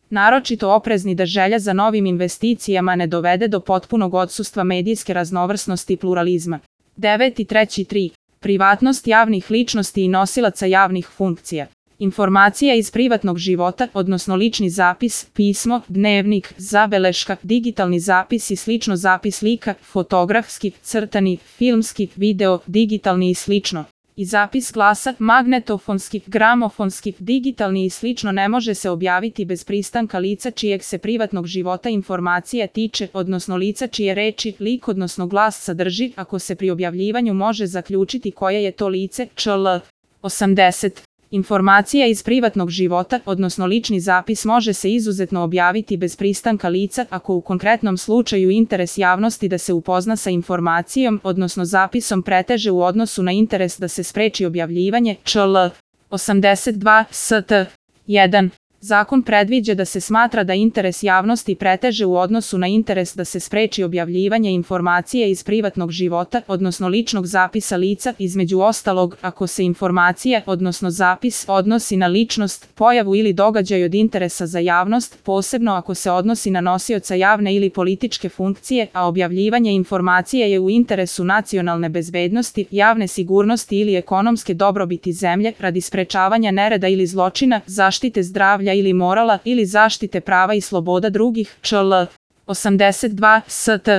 naročito oprezni da želja za novim investicijama ne dovede do potpunog odsustva medijske raznovrsnosti i pluralizma. 9.3.3. Privatnost javnih ličnosti i nosilaca javnih funkcija. Informacija iz privatnog života, odnosno lični zapis, pismo, dnevnik, zabeleška, digitalni zapis i slično zapis slika, fotografski, crtani, filmski, video, digitalni i slično. I zapis glasa, magnetofonski, gramofonski, digitalni i slično ne može se objaviti bez pristanka lica čijeg se privatnog života informacija tiče, odnosno lica čije reči, lik odnosno glas sadrži, ako se pri objavljivanju može zaključiti koje je to lice, čl. 80. Informacija iz privatnog života, odnosno lični zapis može se izuzetno objaviti bez pristanka lica ako u konkretnom slučaju interes javnosti da se upozna sa informacijom, odnosno zapisom preteže u odnosu na interes da se spreči objavljivanje, čl. 82 st. 1. Zakon predviđa da se smatra da interes javnosti preteže u odnosu na interes da se spreči objavljivanje informacije iz privatnog života, odnosno ličnog zapisa lica, između ostalog, ako se informacija, odnosno zapis, odnosi na ličnost, pojavu ili događaj od interesa za javnost, posebno ako se odnosi na nosioca javne ili političke funkcije, a objavljivanje informacije je u interesu nacionalne bezbednosti, javne sigurnosti ili ekonomske dobrobiti zemlje, radi sprečavanja nereda ili zločina, zaštite zdravlja ili morala ili zaštite prava i sloboda drugih, čl. 82 st.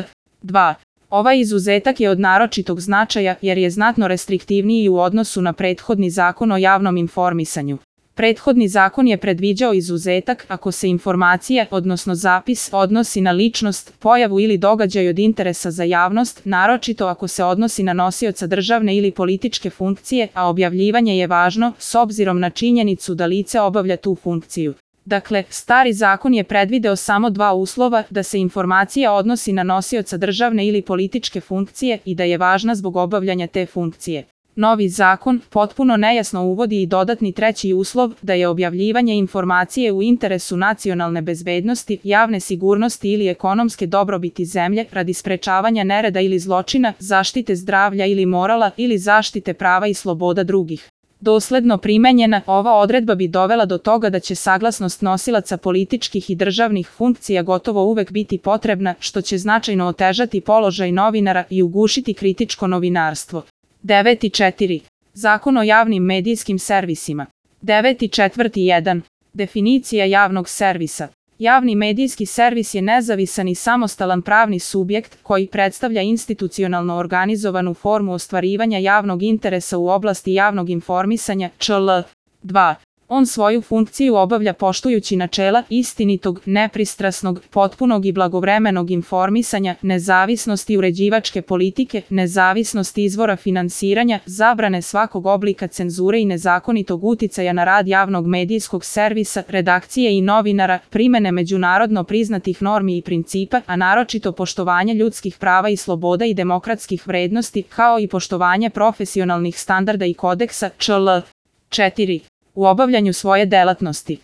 2. Ovaj izuzetak je od naročitog značaja jer je znatno restriktivniji u odnosu na prethodni zakon o javnom informisanju. Prethodni zakon je predviđao izuzetak ako se informacija, odnosno zapis, odnosi na ličnost, pojavu ili događaj od interesa za javnost, naročito ako se odnosi na nosioca državne ili političke funkcije, a objavljivanje je važno s obzirom na činjenicu da lice obavlja tu funkciju. Dakle, stari zakon je predvideo samo dva uslova, da se informacija odnosi na nosioca državne ili političke funkcije i da je važna zbog obavljanja te funkcije. Novi zakon potpuno nejasno uvodi i dodatni treći uslov da je objavljivanje informacije u interesu nacionalne bezbednosti, javne sigurnosti ili ekonomske dobrobiti zemlje radi sprečavanja nereda ili zločina, zaštite zdravlja ili morala ili zaštite prava i sloboda drugih. Dosledno primenjena, ova odredba bi dovela do toga da će saglasnost nosilaca političkih i državnih funkcija gotovo uvek biti potrebna, što će značajno otežati položaj novinara i ugušiti kritičko novinarstvo. 9.4. Zakon o javnim medijskim servisima. 9.4.1. Definicija javnog servisa. Javni medijski servis je nezavisan i samostalan pravni subjekt koji predstavlja institucionalno organizovanu formu ostvarivanja javnog interesa u oblasti javnog informisanja, čl. 2. On svoju funkciju obavlja poštujući načela istinitog, nepristrasnog, potpunog i blagovremenog informisanja, nezavisnosti uređivačke politike, nezavisnosti izvora finansiranja, zabrane svakog oblika cenzure i nezakonitog uticaja na rad javnog medijskog servisa, redakcije i novinara, primene međunarodno priznatih normi i principa, a naročito poštovanje ljudskih prava i sloboda i demokratskih vrednosti, kao i poštovanje profesionalnih standarda i kodeksa, čl. 4. U obavljanju svoje delatnosti.